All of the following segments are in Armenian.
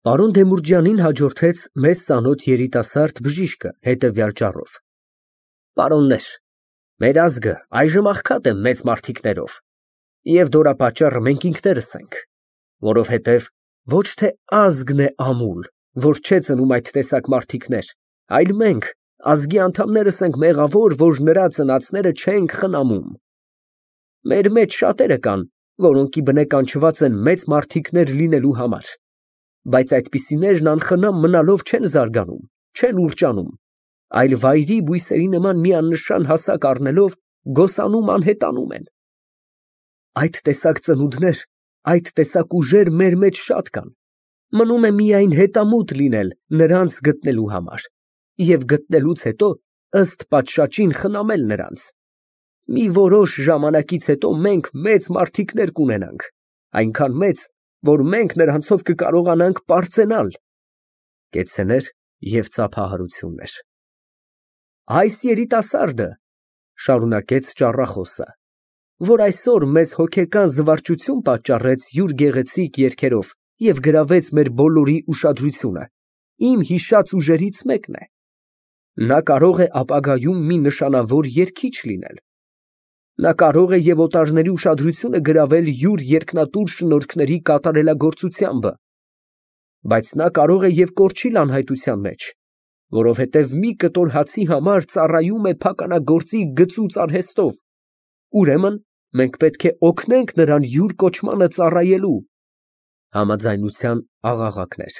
Պարոն Դեմուրջյանին հաջորդեց մեզ ծանոթ երիտասարդ բժիշկը հետևյալ ճառով. Պարոններ, մեր ազգը այժմ աղքատ է մեծ մարդիկներով, և դորապատճառը մենք ինքներս ենք, որովհետև ոչ թե ազգն է ամուլ, որ չէ ծնում այդ տեսակ մարդիկներ, այլ մենք, ազգի անդամներս ենք մեղավոր, որ նրա ծնածները չենք խնամում։ Մեր մեջ շատերը կան, որոնք ի բնե կանչված են մեծ մարդիկներ լինելու համար, բայց այդպիսիներն անխնամ մնալով չեն զարգանում, չեն ուռճանում, այլ վայրի բույսերի նման մի աննշան հասակ առնելով գոսանում անհետանում են։ Այդ տեսակ ծնունդներ, այդ տեսակ ուժեր մեր մեջ շատ կան, մնում է միայն հետամուտ լինել նրանց գտնելու համար և գտնելուց հետո ըստ պատշաճին խնամել նրանց։ Մի որոշ ժամանակից հետո մենք մեծ մարդիկներ կունենանք, այնքան մեծ, որ մենք նրանցով կկարողանանք պարծենալ (Կեցցեներ և ծափահարություններ)։ Այս երիտասարդը, շարունակեց ճառախոսը, որ այսօր մեզ հոգեկան զվարճություն պատճառեց յուր գեղեցիկ երգերով և գրավեց մեր բոլորի ուշադրությունը, իմ հիշած ուժերից մեկն է. նա կարող է ապագայում մի նշանավոր երգիչ լինել։ Նա կարող է և օտարների ուշադրությունը գրավել յուր երկնատուր շնորհքների կատարելագործությամբ, բայց նա կարող է և կորչիլ անհայտության մեջ, որովհետև մի կտոր հացի համար ծառայում է փականագործի գծուծ արհեստով, ուրեմն մենք պետք է օգնենք նրան յուր կոչմանը ծառայելու (Համաձայնության աղաղակներ)։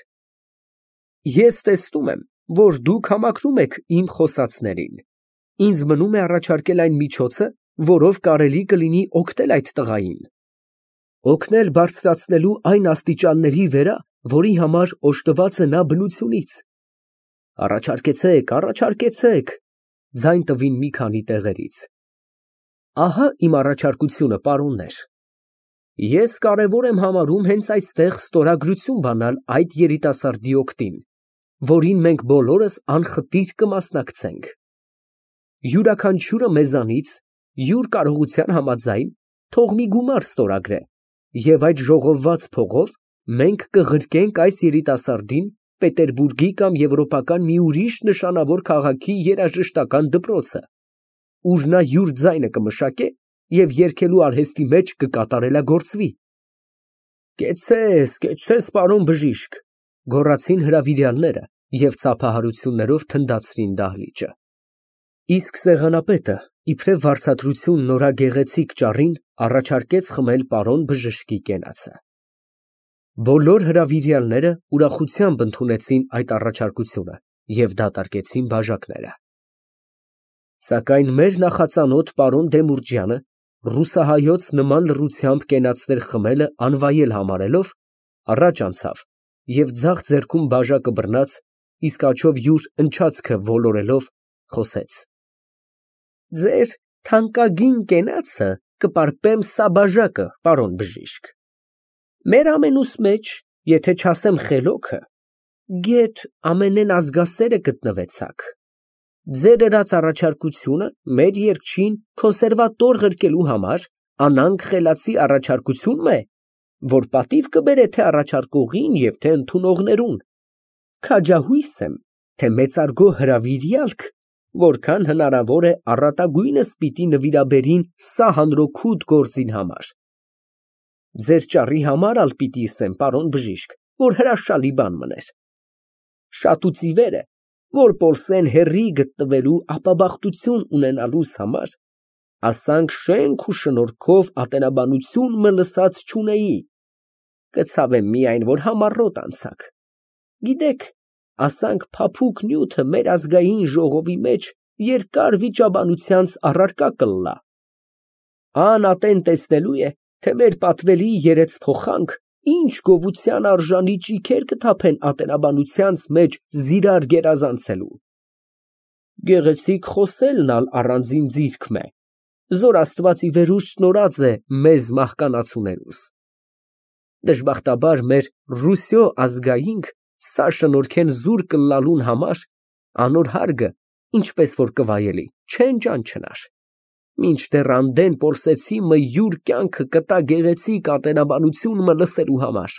Ես տեսնում եմ, որ դուք համակրում եք իմ խոսածներին, ինձ մնում է առաջարկել այն միջոցը, որով կարելի կլինի օգնել այդ տղային, օգնել բարձրացնելու այն աստիճանների վրա, որի համար օժտված է նա բնությունից։ Առաջարկեցեք, ձայն տվին մի քանի տեղերից։ Ահա իմ առաջարկությունը, պարոններ։ Ես կարևոր եմ համարում հենց այստեղ ստորագրություն բանալ այդ երիտասարդի օգտին, որին մենք բոլորս անխտիր կմասնակցենք։ Յուրաքանչյուրը մեզանից յուր կարողության համաձայն թող մի գումար ստորագրե, և այդ ժողովված փողով մենք կղրկենք այս երիտասարդին Պետերբուրգի կամ եվրոպական մի ուրիշ նշանավոր քաղաքի երաժշտական դպրոցը, ուր նա յուր ձայնը կմշակե և երգելու արհեստի մեջ կկատարելագործվի։ Կեցցես, պարոն բժիշկ, գոռացին հրավիրյալները և ծափահարություններով թնդացրին դահլիճը։ Իսկ սեղանապետը, իբրև վարձատրություն նորագեղեցիկ ճառին, առաջարկեց խմել պարոն բժշկի կենացը։ Բոլոր հրավիրյալները ուրախությամբ ընդունեցին այդ առաջարկությունը և դատարկեցին բաժակները։ Սակայն մեր նախածանոթ պարոն Դեմուրջյանը, ռուսահայոց նման լռությամբ կենացներ խմելը անվայել համարելով, առաջ անցավ և ձախ ձեռքում բաժակը բռնած, իսկ աջով յուր ընչացքը ոլորելով, խոսեց. Ձեր թանկագին կենացը կպարպեմ սա բաժակը, պարոն բժիշկ։ Մեր ամենուս մեջ, եթե չասեմ խելոքը, գեթ ամենեն ազգասերը գտնվեցաք։ Ձեր ըրած առաջարկությունը մեր երգչին կոնսերվատոր ղրկելու համար անանկ խելացի առաջարկություն է, որ պատիվ կբերե թե առաջարկողին և թե ընդունողներուն։ Քաջահույս եմ, թե մեծարգո հրավիրյալք, որքան հնարավոր է առատագույնս պիտի նվիրաբերին սա հանրօգուտ գործին համար։ Ձեր ճառի համար ալ պիտի ասեմ, պարոն բժիշկ, որ հրաշալի բան մներ։ Շատուցիվեր է, որ պոլսեն հեռի գտնվելու ապաբախտություն ունենալուս համար, ասանք շենք ու շնորհքով ատենաբանություն մը լսած չունեի, կցավեմ միայն, որ համառոտ անցաք։ Գիտեք, ասանք փափուկ նյութը մեր ազգային ժողովի մեջ երկար վիճաբանությանց առարկա կլլա։ Ան ատեն տեսնելու է, թե մեր պատվելի երեցփոխանք ինչ գովության արժանի ճիգեր կթափեն ատենաբանությանց մեջ զիրար գերազանցելու։ Գեղեցիկ խոսելն ալ առանձին ձիրք մը, զոր Աստված ի վերուս շնորհած է մեզ մահկանացուներուս։ Դժբախտաբար մեր Ռուսյո ազգայինք սա շնորհքեն զուր կլալուն համար անոր հարգը, ինչպես որ կվայելի, չեն ճանչնար, մինչդեռ անդեն պոլսեցի մը յուր կյանքը կտա գեղեցիկ ատենաբանություն մը լսելու համար։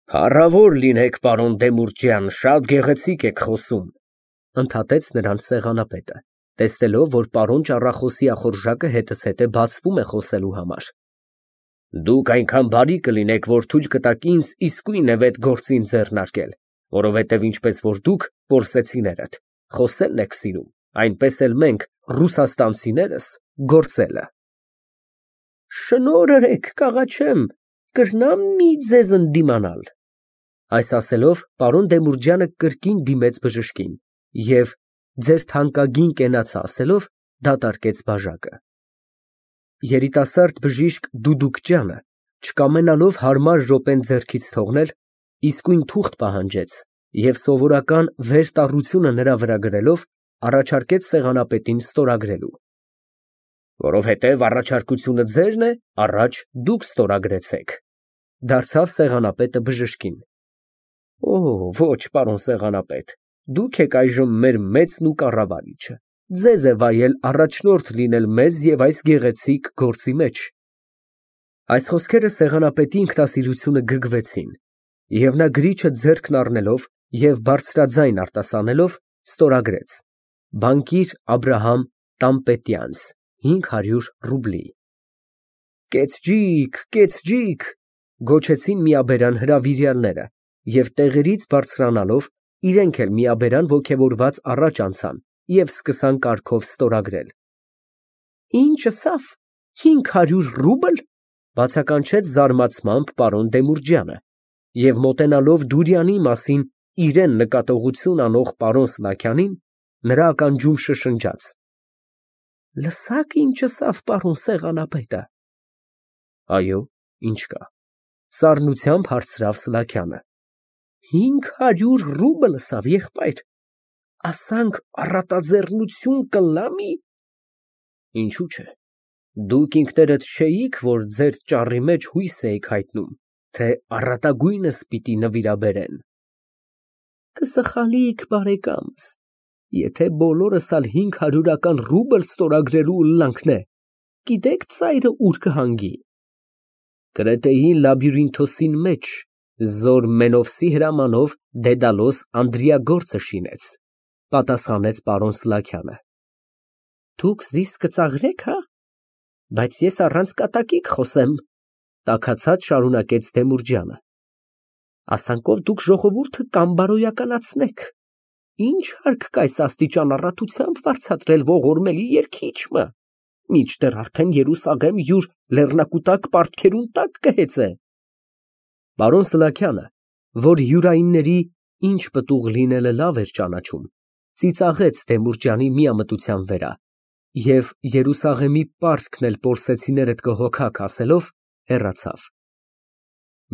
Հարավոր լինեք, պարոն Դեմուրջյան, շատ գեղեցիկ եք խոսում, ընդհատեց նրան սեղանապետը, տեսնելով, որ պարոն ճառախոսի ախորժակը հետզհետե բացվում է խոսելու համար։ Դուք այնքան բարի կլինեք, որ թույլ կտաք ինձ իսկույն վետ գործին ձեռնարկել, որովհետև ինչպես որ դուք, որսեցիներդ, խոսելն եք սիրում, այնպես էլ մենք, ռուսաստանցիներս, գործելը։ Շնորհք, կաղաչեմ, կրնամ մի ձեզ ընդդիմանալ։ Այս ասելով, պարոն Դեմուրջյանը կրկին դիմեց բժշկին և ձեր թանկագին կենացը ասելով, դատարկեց բաժակը։ Երիտասարդ բժիշկ Դուդուկջյանը, չկամենալով հարմար րոպեն ձեռքից թողնել, իսկույն թուղթ պահանջեց և սովորական վերտառությունը նրա վրա գրելով, առաջարկեց սեղանապետին ստորագրելու։ Որովհետև առաջարկությունը ձերն է, առաջ դուք ստորագրեցեք, դարձավ սեղանապետը բժշկին։ Ոչ, պարոն սեղանապետ, դուք եք այժմ մեր մեծն ու կառավարիչը, ձեզ է վայել առաջնորդ լինել մեզ և այս գեղեցիկ գործի մեջ։ Այս խոսքերը սեղանապետի ինքնասիրությունը գրգռվեցին, և նա գրիչը ձեռքն առնելով և բարձրաձայն արտասանելով, ստորագրեց. բանկիր Աբրահամ Տամպետյանց, 500 ռուբլի։ Կեցջիկ, գոչեցին միաբերան հրավիրյալները և տեղերից բարձրանալով, իրենք էլ միաբերան ոգևորված առաջ անցան և սկսան կարգով ստորագրել։ Ինչ ասավ, 500 ռուբլ, բացականչեց զարմացմամբ պարոն Դեմուրջյանը և մոտենալով Դուրյանի մասին իրան նկատողություն անող պարոն Սլաքյանին, նրա ականջում շշնջաց. Լսա՞ք ինչ ասավ պարոն սեղանապետը։ Այո, ինչ կա, սառնությամբ հարցրավ Սլաքյանը։ 500 ռուբլ ասավ, եղբայր, ասանք առատաձեռնություն կլամի։ Ինչու՞ չէ, դուք ինքներդ չէիք, որ ձեր ճառի մեջ հույս էիք հայտնում, թե առատագույնս պիտի նվիրաբերեն։ Կսխալիք, բարեկամս, եթե բոլորս ալ 500 ռուբլ ստորագրելու ուլլանքն է, գիտեք ծայրը ուր կհանգի։ Կրետեի լաբիրինթոսին մեջ Զոր Մենովսի հրամանով Դեդալոս Անդրիագործը շինեց, պատասխանեց պարոն Սլաքյանը։ Դուք զիս կծաղրեք, հա, բայց ես առանց կատակի կխոսեմ, տաքացած շարունակեց Դեմուրջյանը։ Ասանքով դուք ժողովուրդը կամբարոյականացնեք, ինչ հարկ կա այս աստիճան առատությամբ վարձատրել ողորմելի երգիչը, մինչդեռ արդեն Երուսաղեմ յուր լեռնակուտակ պարտքերուն տակ կհեծե։ Պարոն Սլաքյանը, որ յուրայինների ինչ պտուղ լինելը լավ էր ճանաչում, ծիծաղեց Դեմուրջյանի միամտության վրա և Երուսաղեմի պարտքն էլ պորսեցիներդ կհոգաք ասելով, հեռացավ։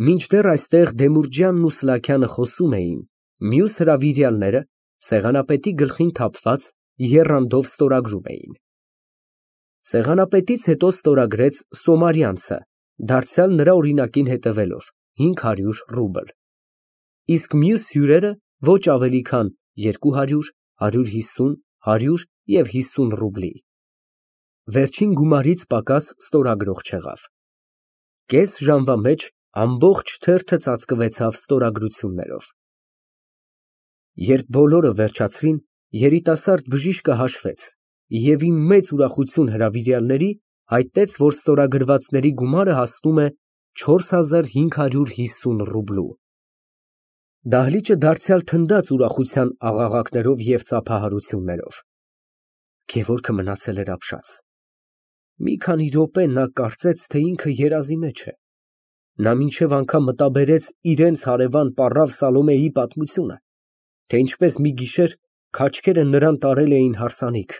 Մինչդեռ այստեղ Դեմուրջյանն ու Սլաքյանը խոսում էին, մյուս հրավիրյալները, սեղանապետի գլխին թափված, եռանդով ստորագրում էին։ Սեղանապետից հետո ստորագրեց Սոմարյանցը, դարձյալ նրա օրինակին հետևելով, 500 ռուբլ, իսկ մյուս հյուրերը ոչ ավելի քան 200, 150, 100 և 50 ռուբլի։ Վերջին գումարից պակաս ստորագրող չեղավ։ Կես ժամվա մեջ ամբողջ թերթը ծածկվեցավ ստորագրություններով։ Երբ բոլորը վերջացրին, երիտասարդ բժիշկը հաշվեց և ի մեծ ուրախություն հրավիրյալների հայտնեց, որ ստորագրվածների գումարը հասնում է 4550 ռուբլու։ Դահլիճը դարձյալ թնդաց ուրախության աղաղակներով և ծափահարություններով։ Գևորգը մնացել էր ապշած։ Մի քանի րոպե նա կարծեց, թե ինքը երազի մեջ է։ Նա մինչև անգամ մտաբերեց իրենց հարևան պառավ Սալոմեի պատմությունը, թե ինչպես մի գիշեր քաչքերը նրան տարել էին հարսանիք,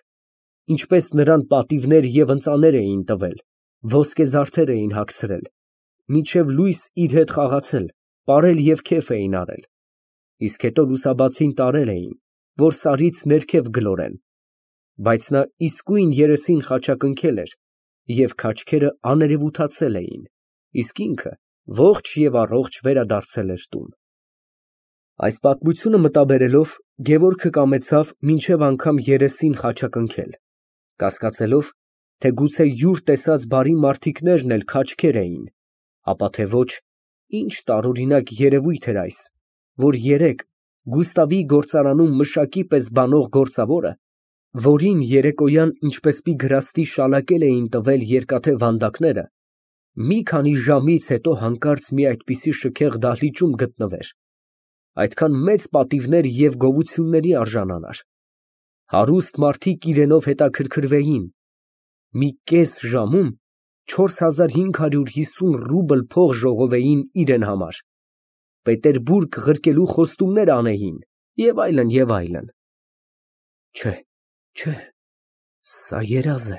ինչպես նրան պատիվներ և ընծաներ էին տվել, ոսկեզարդեր էին հագցրել, մինչև լույս իր հետ խաղացել, պարել և քեֆ էին արել, իսկ հետո լուսաբացին տարել էին, որ սարից ներքև գլորեն, բայց նա իսկույն երեսին խաչակնքել էր և քաչքերը աներևութացել էին, իսկ ինքը ողջ և առողջ վերադարձել էր տուն։ Այս պատմությունը մտաբերելով, Գևորգը կամեցավ մինչև անգամ երեսին խաչակնքել, կասկածելով, թե գուցե յուր տեսած բարի մարդիկներն էլ քաչքեր էին, ապա թե ոչ, Ինչ տարօրինակ երևույթ էր այս, որ երեկ Գուստավի գործարանում մշակի պես բանող գործավորը, որին երեկոյան ինչպես մի գրաստի շալակել էին տվել երկաթե վանդակները, մի քանի ժամից հետո հանկարծ մի այդպիսի շքեղ դահլիճում գտնվեր, այդքան մեծ պատիվների և գովությունների արժանանար, հարուստ մարդիկ իրենով հետաքրքրվեին, մի կես ժամում 4550 ռուբլ փող ժողովեին իրեն համար, Պետերբուրգ ղրկելու խոստումներ անեին և այլն, և այլն։ Չէ, սա երազ է,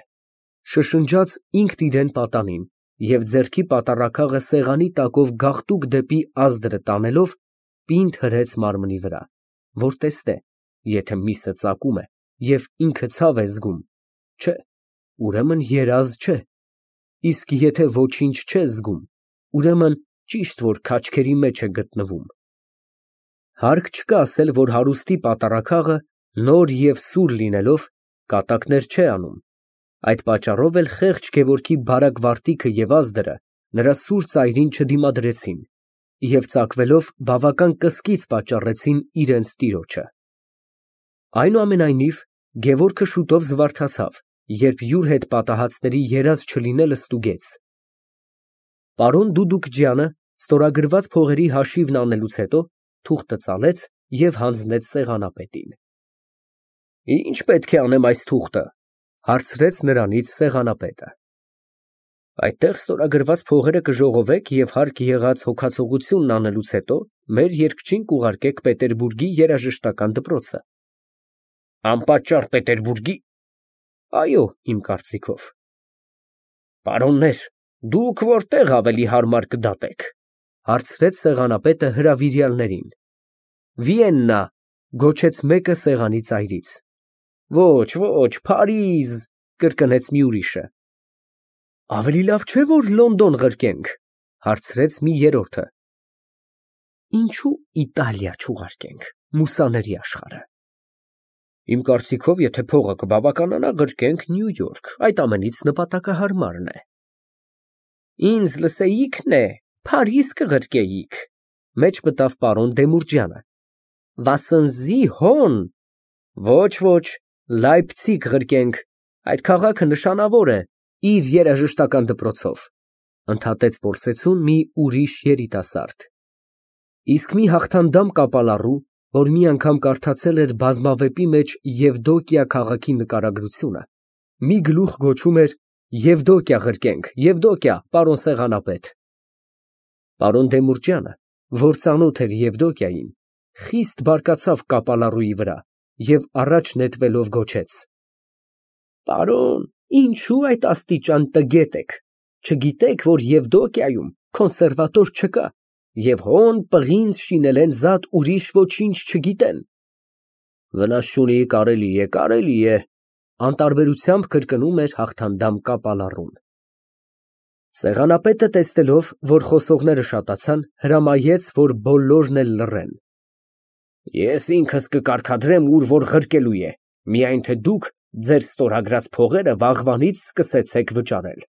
շշնջաց ինքն իրեն պատանին և ձեռքի պատառաքաղը սեղանի տակով գաղտուկ դեպի ազդրը տանելով պինդ հրեց մարմնի վրա, որ տեսնե, եթե միսը ծակում է և ինքը ցավ է զգում, չէ, ուրեմն երազ չէ, իսկ եթե ոչինչ չէ զգում, ուրեմն ճիշտ որ քաչքերի մեջ է գտնվում։ Հարկ չկա ասել, որ հարուստի պատառաքաղը նոր և սուր լինելով կատակներ չէ անում, այդ պատճառով էլ խեղճ Գևորգի բարակ վարտիքը և ազդրը նրա սուր ծայրին չդիմադրեցին և ծակվելով բավական կսկիծ պատճառեցին իրենց տիրոջը։ Այնուամենայնիվ Գևորգը շուտով զվարթացավ, երբ յուր հետ պատահածների երազ չլինելը ստուգեց։ Պարոն Դուդուկջյանը ստորագրված փողերի հաշիվն անելուց հետո թուղթը ծալեց և հանձնեց սեղանապետին։ Ի՞նչ պետք է անեմ այս թուղթը, հարցրեց նրանից սեղանապետը։ Այդտեղ ստորագրված փողերը կժողովեք և հարկ եղած հոգացողությունն անելուց հետո մեր երգչին կուղարկեք Պետերբուրգի երաժշտական դպրոցը։ Անպատճառ Պետերբուրգի։ Այո, իմ կարծիքով։ Պարոններ, դուք որտեղ ավելի հարմար կդատեք, հարցրեց սեղանապետը հրավիրյալներին։ Վիեննա, գոչեց մեկը սեղանի ծայրից։ Ոչ, Փարիզ, կրկնեց մի ուրիշը։ Ավելի լավ չէ, որ Լոնդոն ղրկենք, հարցրեց մի երրորդը։ Ինչու Իտալիա չուղարկենք, մուսաների աշխարհը։ Իմ կարծիքով, եթե փողը կբավականանա, ղրկենք Նյու Յորք, այդ ամենից նպատակահարմարն է։ Ինձ լսեիքն է, Փարիզ կղրկեիք, մեջ մտավ պարոն Դեմուրջյանը։ Վասնզի հոն։ Ոչ, Լայպցիգ ղրկենք, այդ քաղաքը նշանավոր է իր երաժշտական դպրոցով, ընդհատեց որսեցուն մի ուրիշ երիտասարդ։ Իսկ մի հաղթանդամ կապալառու, որ մի անգամ կարդացել էր բազմավեպի մեջ Եվդոկիա քաղաքի նկարագրությունը, մի գլուխ գոչում էր Եվդոկիա ղրկենք, Եվդոկիա, պարոն սեղանապետ։ Պարոն Դեմուրջյանը, որ ծանոթ էր Եվդոկիային, խիստ բարկացավ կապալառուի վրա և առաջ նետվելով գոչեց. Պարոն, ինչու այդ աստիճան տգետ եք, չգիտեք, որ Եվդոկիայում կոնսերվատոր չկա, և հոն պղինձ շինել են զատ ուրիշ ոչինչ չգիտեն։ Վնաս չունի, կարելի է, անտարբերությամբ կրկնում էր հաղթանդամ կապալառուն։ Սեղանապետը տեսնելով, որ խոսողները շատացան, հրամայեց, որ բոլորն էլ լռեն։ Ես ինքս կկարգադրեմ, ուր որ ղրկելու է, միայն թե դուք ձեր ստորագրած փողերը վաղվանից սկսեցեք վճարել,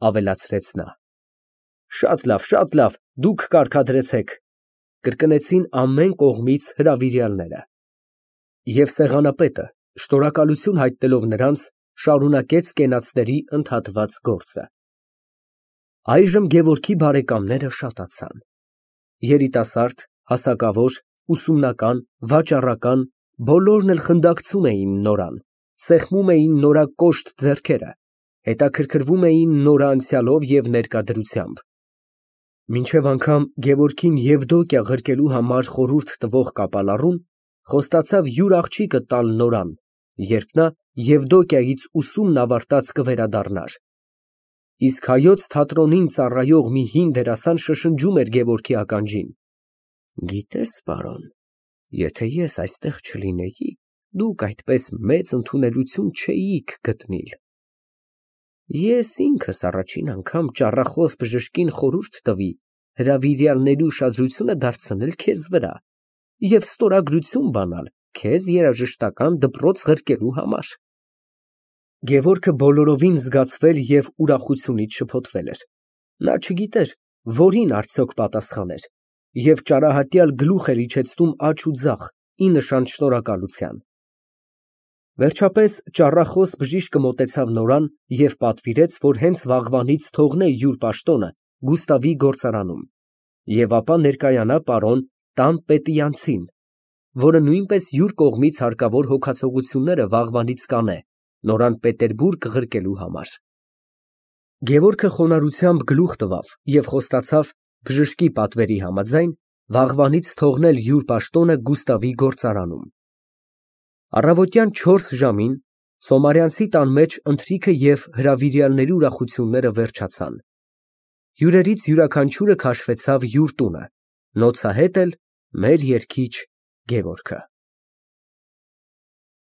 ավելացրեց նա։ Շատ լավ, դուք կարգադրեցեք, կրկնեցին ամեն կողմից հրավիրյալները։ Եվ սեղանապետը, շնորհակալություն հայտնելով նրանց, շարունակեց կենացների ընդհատված գործը։ Այժմ Գևորգի բարեկամները շատացան։ Երիտասարդ, հասակավոր, ուսումնական, վաճառական, բոլորն էլ խնդակցում էին նորան, սեղմում էին նորա կոշտ ձեռքերը, հետաքրքրվում էին նորա անցյալով և ներկայությամբ։ Մինչև անգամ Գևորգին Եվդոկիա ղրկելու համար խորհուրդ տվող կապալառուն խոստացավ յուր աղջիկը տալ նորան, երբ նա Եվդոկիայից ուսումն ավարտած կվերադառնար։ Իսկ Հայոց թատրոնին ծառայող մի հին դերասան շշնջում էր Գևորգի ականջին. Գիտես, պարոն, եթե ես այստեղ չլինեի, դուք այդպես մեծ ընդունելություն չէիք գտնել։ Ես ինքս առաջին անգամ ճառախոս բժշկին խորհուրդ տվի հրավիրյալների ուշադրությունը դարձնել քեզ վրա և ստորագրություն բանալ քեզ երաժշտական դպրոց ղրկելու համար։ Գևորգը բոլորովին զգացվել և ուրախությունից շփոթվել էր։ Նա չգիտեր, Որին արդյոք պատասխաներ, և ճարահատյալ գլուխ էր իջեցնում աջ ու ձախ, ի նշան շնորհակալության։ Վերջապես ճառախոս բժիշկը մոտեցավ Նորան և պատվիրեց, որ հենց վաղվանից թողնե յուր պաշտոնը Գուստավի գործարանում և ապա ներկայանա պարոն Տան֊Պետիանցին, որը նույնպես յուր կողմից հարկավոր հոգացողությունները վաղվանից կանե, Նորան Պետերբուրգ ղրկելու համար։ Գևորգը խոնարհությամբ գլուխ տվավ և խոստացավ բժշկի պատվերի համաձայն վաղվանից թողնել յուր պաշտոնը Գուստավի գործարանում։ Առավոտյան 4 ժամին Սոմարյանցի տան մեջ ընթրիքը և հրավիրյալների ուրախությունները վերջացան։ Հյուրերից յուրաքանչյուրը քաշվեցավ յուր տունը, նոցա հետ էլ մեր երգիչ Գևորգը։